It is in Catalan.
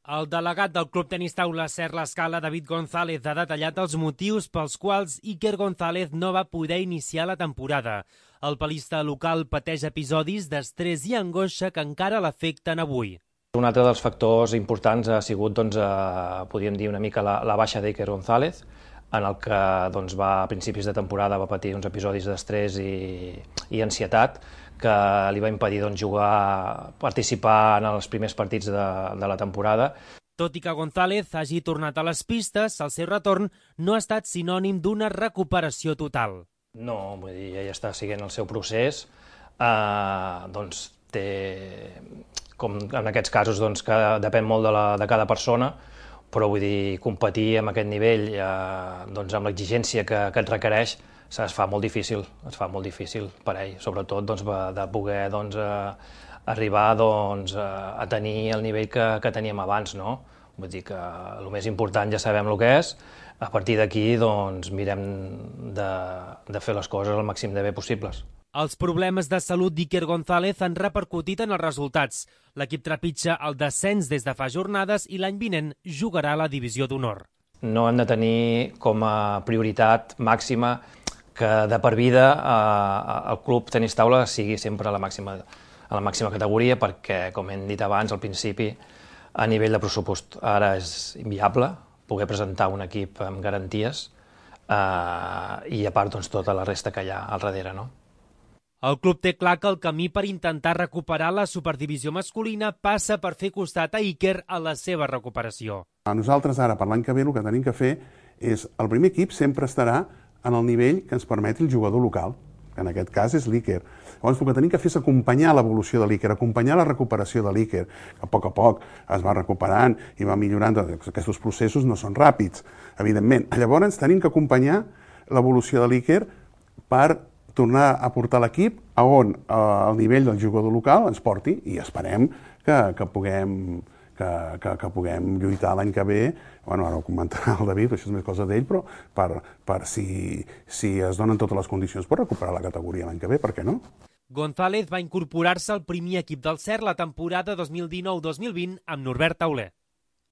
El delegat del Club Tenis Taula Ser l'Escala, David González, ha detallat els motius pels quals Iker González no va poder iniciar la temporada. El palista local pateix episodis d'estrès i angoixa que encara l'afecten avui. Un altre dels factors importants ha sigut, podríem dir, una mica la baixa d'Iker González, en el que a principis de temporada va patir uns episodis d'estrès i ansietat que li va impedir jugar, participar en els primers partits de la temporada. Tot i que González hagi tornat a les pistes, el seu retorn no ha estat sinònim d'una recuperació total. No, vull dir, ell està seguint el seu procés, té, com en aquests casos, que depèn molt de cada persona, però vull dir, competir amb aquest nivell, amb l'exigència que et requereix, es fa molt difícil per ell, sobretot de poder arribar a tenir el nivell que teníem abans, no? Vull dir que el més important ja sabem el que és, a partir d'aquí mirem de fer les coses el màxim de bé possibles. Els problemes de salut d'Iker González han repercutit en els resultats. L'equip trepitja el descens des de fa jornades i l'any vinent jugarà a la divisió d'honor. No hem de tenir com a prioritat màxima que de per vida el Club Tenis Taula sigui sempre a la màxima categoria, perquè, com hem dit abans, al principi, a nivell de pressupost ara és inviable poder presentar un equip amb garanties i, a part, tota la resta que hi ha al darrere, no? El club té clar que el camí per intentar recuperar la superdivisió masculina passa per fer costat a Iker a la seva recuperació. A nosaltres ara, per l'any que ve, el que tenim que fer és, el primer equip sempre estarà en el nivell que ens permeti el jugador local, que en aquest cas és l'Iker. Llavors, el que tenim que fer és acompanyar l'evolució de l'Iker, acompanyar la recuperació de l'Iker, que a poc es va recuperant i va millorant. Aquests processos no són ràpids, evidentment. Llavors, tenim que acompanyar l'evolució de l'Iker per tornar a portar l'equip a on el nivell del jugador local ens porti, i esperem que puguem lluitar l'any que ve. Bueno, ara ho comentarà el David, això és més cosa d'ell, però per si es donen totes les condicions per recuperar la categoria l'any que ve, per què no? González va incorporar-se al primer equip del Ser la temporada 2019-2020 amb Norbert Tauler.